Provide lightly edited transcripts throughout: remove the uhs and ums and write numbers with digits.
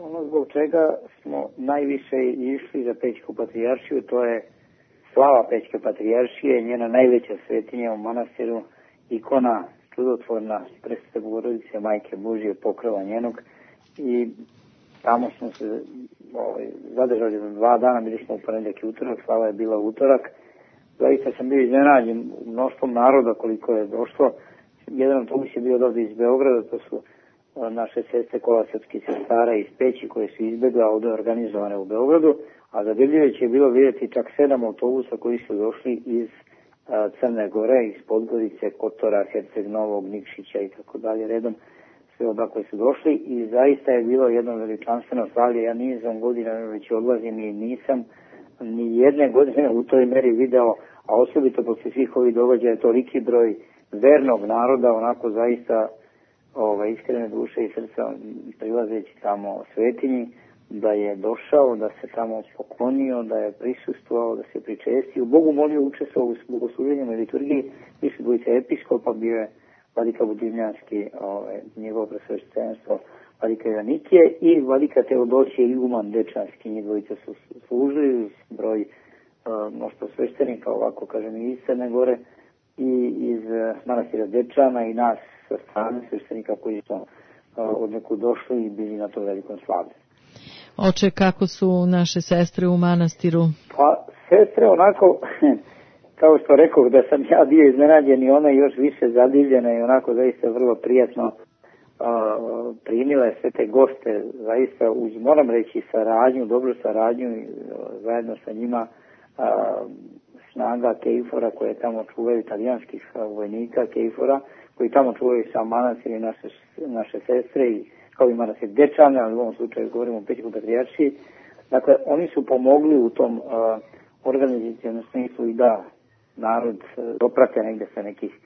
Ono zbog čega smo najviše išli za Pećku patrijaršiju, to je slava Pećke patrijaršije, njena najveća svetinja u manastiru, ikona čudotvorna Presvete Bogorodice, Majke Božije, pokrova njenog, i tamo smo se zadržali za 2 dana, bili smo u ponedjeljak i utorak, slava je bila utorak. Zaista sam bio iznenađen mnoštvom naroda koliko je došlo. Jedan autobus je bio ovdje iz Beograda, to su naše sestre kolosarskih sestara iz Peći koje su izbjegle, a ovdje organizovane u Beogradu, a zadivljujuće je bilo vidjeti čak 7 autobusa koji su došli iz Crne Gore, iz Podgorice, Kotora, Herceg Novog, Nikšića i tako dalje redom, sve odakle su došli, i zaista je bilo jedno veličanstveno slavlje. Ja nizom godina već odlazim i nisam ni jedne godine u toj meri video, a osobito posle svih ovih događaja, toliki broj vernog naroda, onako zaista iskrene duše i srca prilazeći tamo svetinji, da je došao, da se tamo poklonio, da je prisustvovao, da se pričestio, Bogu molio, učestvovao u bogosluženjima i liturgiji. Više dvojice episkopa, bio je vladika Budivljanski, njegovo presveštenstvo, vladika Joanikije i vladika Teodosije Iguman Dečanski. Njih dvojice su služili, broj mnoštvo sveštenika, ovako kažem, i iz Crne Gore i iz manastira Dečana i nas sa strane sveštenika koji su od nekud došli i bili na to velikom slavlju. Oče, kako su naše sestre u manastiru? Pa, sestre onako, kao što rekao, da sam ja bio iznenađen i one još više zadivljene i onako zaista vrlo prijatno primile sve te goste, zaista uz, moram reći, saradnju, dobru saradnju, zajedno sa njima snaga Kejfora koje tamo čuvaju, italijanskih vojnika Kejfora, koji tamo čuvaju sam manastir i naše sestre, i kao i manastir Dečane, ali u ovom slučaju govorimo o Pećkoj patrijaršiji. Dakle, oni su pomogli u tom organizacijalnom smislu i da narod doprate negde sa nekih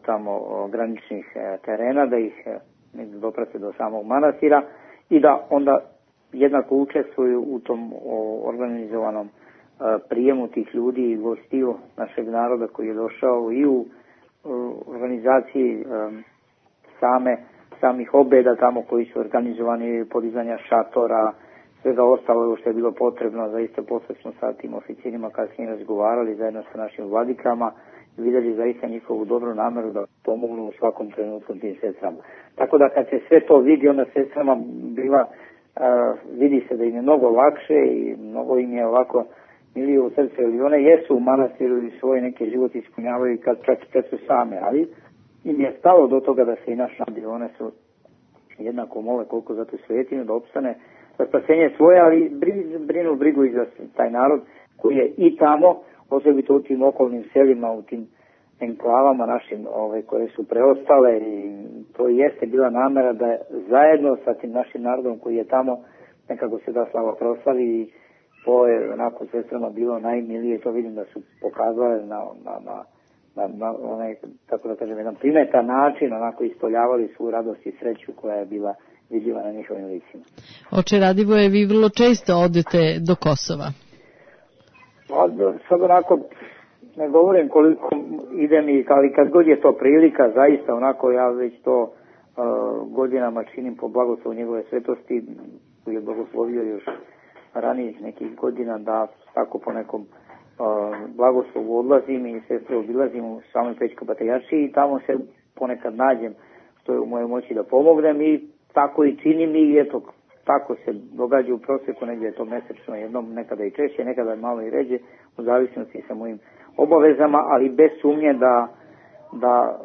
tamo graničnih terena, da ih doprate do samog manastira i da onda jednako učestvuju u tom organizovanom prijemu tih ljudi i gostiju našeg naroda koji je došao i u organizaciji samih obeda tamo koji su organizovani, podizanja šatora, svega ostalo što je bilo potrebno. Zaista posle smo sa tim oficirima kasnije razgovarali zajedno sa našim vladikama i vidjeli zaista njihovu dobru nameru da pomognu u svakom trenutku tim sestrama. Tako da kad se sve to vidi, onda sestrama vidi se da im je mnogo lakše i mnogo im je ovako milije u srce, ili one jesu u manastiru i svoje neke život ispunjavaju kad su same, ali im je stalo do toga da se i naš nadi, one su jednako mole koliko za tu svetinju da opstane za spasenje svoje, ali brinu brigu i za taj narod koji je i tamo, osobito u tim okolnim selima, u tim enklavama našim koje su preostale, i to jeste bila namera da zajedno sa tim našim narodom koji je tamo nekako se da slava proslavi, i to je onako sestrama bilo najmilije. To vidim da su pokazale na onaj, tako da kažem, jedan primetan način, onako ispoljavali svu radost i sreću koja je bila vidljiva na njihovim licima. Oče Radivoje, vi vrlo često odete do Kosova. Sad onako ne govorim koliko idem, ali kad god je to prilika, zaista onako ja već to godinama činim po blagoslovu njegove svetosti, koji je blagoslovio još ranijih nekih godina, da tako po nekom blagoslovu odlazim i sestre obilazim u samoj Pećkoj patrijaršiji i tamo se ponekad nađem što je u mojoj moći da pomognem, i tako i činim, i eto, tako se događa u prosjeku, negdje je to mesečno jednom, nekada i češće, nekada malo i ređe, u zavisnosti sa mojim obavezama, ali bez sumnje da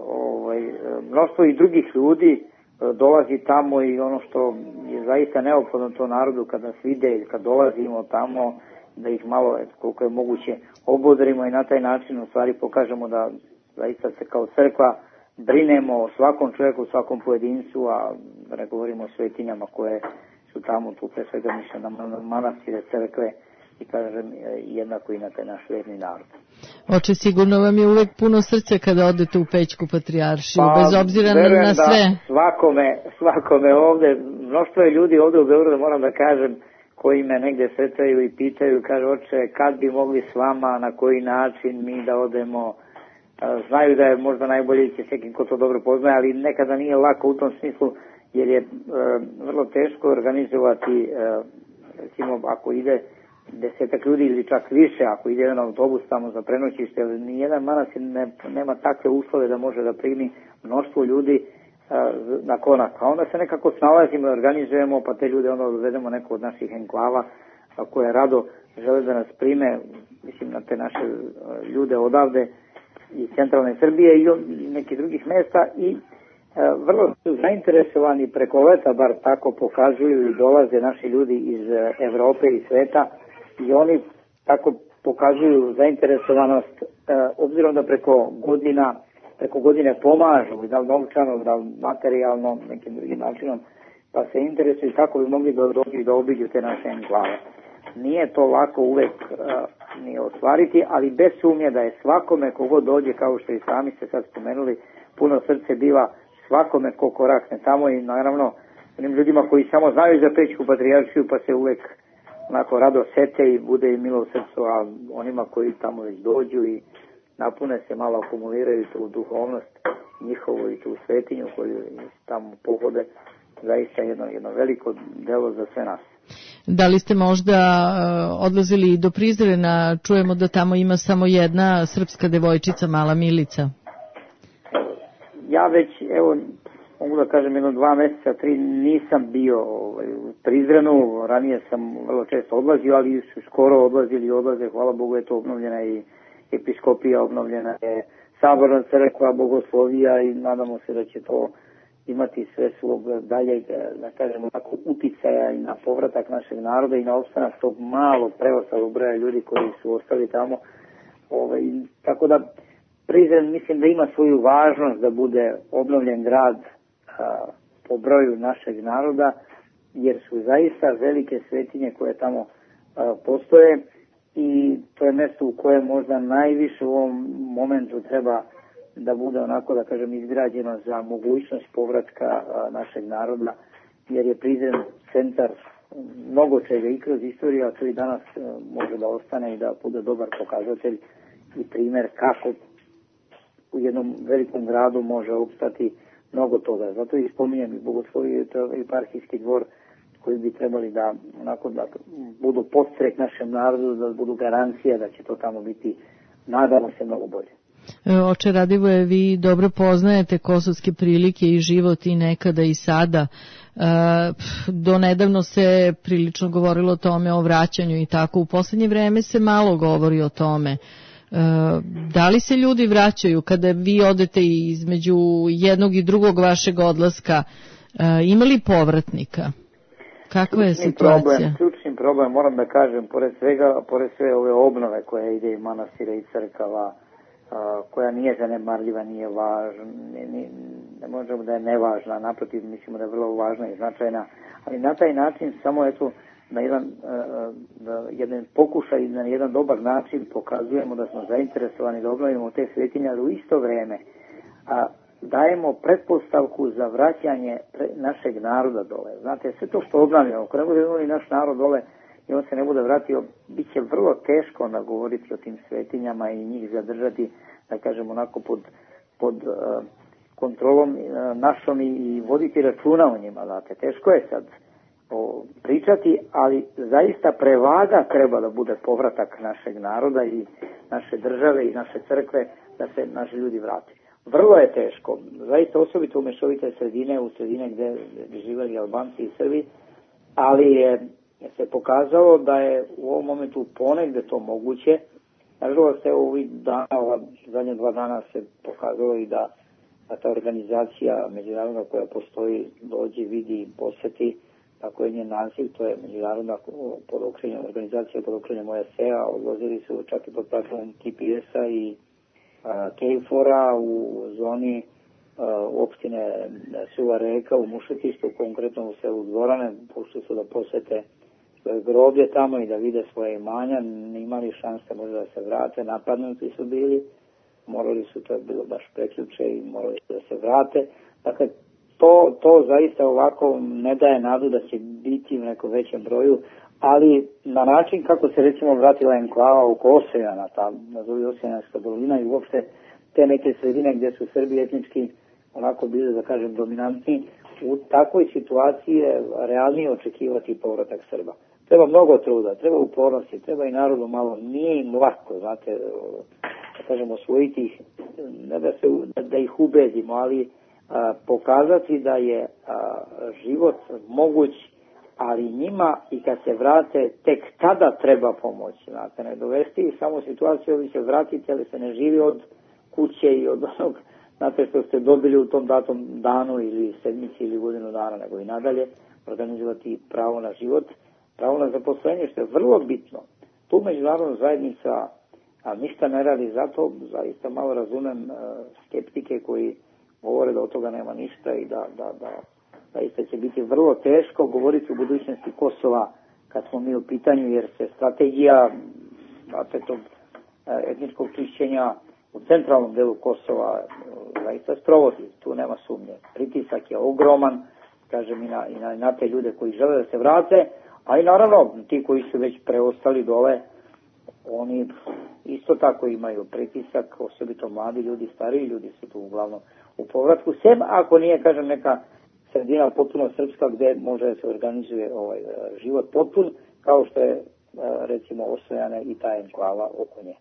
mnoštvo i drugih ljudi dolazi tamo, i ono što je zaista neophodno to narodu kada nas vide ili kad dolazimo tamo, da ih malo, koliko je moguće, obodrimo i na taj način u stvari pokažemo da zaista se kao crkva brinemo o svakom čovjeku, svakom pojedincu, a da ne govorimo o svetinjama koje su tamo, tu pre svega mišljam na manastire, crkve, i kažem jednako i na taj naš verni narod. Oče, sigurno vam je uvek puno srce kada odete u Pećku patrijaršiju, bez obzira na sve. Svakome ovde, mnoštvo je ljudi ovde u Beogradu, moram da kažem, koji me negde sretaju i pitaju, kaže, oče, kad bi mogli s vama, na koji način mi da odemo. Znaju da je možda najbolje će s nekim ko to dobro poznaje, ali nekada nije lako u tom smislu, jer je vrlo teško organizovati, recimo ako ide 10 ljudi ili čak više, ako ide jedan autobus tamo za prenoćište, jer nijedan manastir nema takve uslove da može da primi mnoštvo ljudi na konak. A onda se nekako snalazimo i organizujemo, pa te ljude onda dovedemo neko od naših enklava koje rado žele da nas prime, mislim na te naše ljude odavde iz centralne Srbije i nekih drugih mesta i vrlo su zainteresovani preko leta, bar tako pokazuju i dolaze naši ljudi iz Evrope i sveta i oni tako pokazuju zainteresovanost obzirom da preko godine pomažu, da li novčano, da li materijalno, nekim drugim načinom, pa se interesuju kako bi mogli da dođu i da obiđu te naše enklave. Nije to lako uvek ni ostvariti, ali bez sumnje da je svakome kogod dođe, kao što i sami ste sad spomenuli, puno srce biva svakome ko korakne tamo i naravno onim ljudima koji samo znaju za Pećku patrijaršiju pa se uvek onako rado sete i bude im milo u srcu, a onima koji tamo već dođu i napune se, malo akumuliraju tu duhovnost njihovu i tu svetinju koju tamo pohode, zaista jedno veliko delo za sve nas. Da li ste možda odlazili do Prizrena? Čujemo da tamo ima samo jedna srpska devojčica, mala Milica. Ja već, evo, mogu da kažem 2 meseca, 3 nisam bio u Prizrenu, ranije sam vrlo često odlazio, ali su skoro odlaze, hvala Bogu je to obnovljena i episkopija, obnovljena je saborna crkva, bogoslovija i nadamo se da će to imati sve svog daljeg, da kažemo tako, uticaja i na povratak našeg naroda i na opstanak tog malo preostalog broja ljudi koji su ostali tamo. Tako da Prizren mislim da ima svoju važnost da bude obnovljen grad po broju našeg naroda, jer su zaista velike svetinje koje tamo postoje i to je mjesto u kojem možda najviše u ovom momentu treba da bude onako, da kažem, izgrađeno za mogućnost povratka našeg naroda, jer je Prizren centar mnogo čega i kroz istoriju, a to i danas može da ostane i da bude dobar pokazatelj i primjer kako u jednom velikom gradu može opstati mnogo toga. Zato i spominjem i bogosloviju i eparhijski dvor koji bi trebali da onako da budu podstrek našem narodu, da budu garancija da će to tamo biti, nadamo se, mnogo bolje. Oče Radivoje, vi dobro poznajete kosovske prilike i život i nekada i sada. Do nedavno se prilično govorilo o tome, o vraćanju i tako. U poslednje vreme se malo govori o tome. Da li se ljudi vraćaju kada vi odete između jednog i drugog vašeg odlaska? Ima li povratnika? Kakva je situacija? Ključni problem, moram da kažem, pored sve ove obnove koje ide i manastira i crkava, koja nije zanemarljiva, nije važna, ne možemo da je nevažna, naprotiv mislimo da je vrlo važna i značajna, ali na taj način samo na jedan pokušaj i na jedan dobar način pokazujemo da smo zainteresovani da obnovimo te svetinje, ali u isto vreme dajemo pretpostavku za vraćanje našeg naroda dole. Znate, sve to što obnavljamo, ako ne bude imali naš narod dole i on se ne bude vratio, bit će vrlo teško nagovoriti o tim svetinjama i njih zadržati, da kažem, onako pod kontrolom našom i voditi računa o njima. Znate, teško je sad pričati, ali zaista prevaga treba da bude povratak našeg naroda i naše države i naše crkve, da se naši ljudi vrati. Vrlo je teško, zaista osobito u mešovite sredine, u sredine gde živeli Albanci i Srbi, ali je se pokazalo da je u ovom momentu ponegde to moguće. Nažalost, evo ovih dana, zadnje 2 dana se pokazalo i da ta organizacija međunarodna koja postoji dođe, vidi i posjeti, tako je njen naziv, to je međunarodna organizacija pod okriljem OSCE-a, odlazili su čak i pod platformom TPS-a i KFOR-a u zoni opštine Suva Reka u Mušetištu, konkretno u selu Dvorane, pošli su da posete svoje groblje tamo i da vide svoje imanja, imali šanse možda da se vrate, napadnuti su bili, morali su, to je bilo baš preključe i morali su da se vrate. Dakle, to zaista ovako ne daje nadu da će biti u nekom većem broju, ali na način kako se recimo vratila enklava oko Osijana, nazovi Osijanska dolina i uopšte te neke sredine gdje su Srbi etnički onako bili, da kažem, dominantni, u takvoj situaciji je realnije očekivati povratak Srba. Treba mnogo truda, treba upornosti, treba i narodu malo, nije im lako, znate, da kažemo, osvojiti ih, ne da ih ubedimo, ali pokazati da je život moguć, ali njima i kad se vrate, tek tada treba pomoći, znate, ne dovesti ih samo u situaciju, vi se vratite, ali se ne živi od kuće i od onog, znate, što ste dobili u tom datom danu ili sedmici ili godinu dana, nego i nadalje organizovati pravo na život, pravo na zaposlenje, što je vrlo bitno. Tu međunarodna zajednica ništa ne radi, zato zaista malo razumem skeptike koji govore da od toga nema ništa i da zaista će biti vrlo teško govoriti o budućnosti Kosova kad smo mi u pitanju, jer se strategija tog etničkog čišćenja u centralnom delu Kosova zaista sprovodi, tu nema sumnje. Pritisak je ogroman, kažem, i na te ljude koji žele da se vrate, a i naravno ti koji su već preostali dole, oni isto tako imaju pritisak, osobito mladi ljudi, stariji ljudi su tu uglavnom u povratku, sem ako nije, kažem, neka sredina potpuno srpska gde može da se organizuje život potpun, kao što je recimo Osojane i ta enklava oko nje.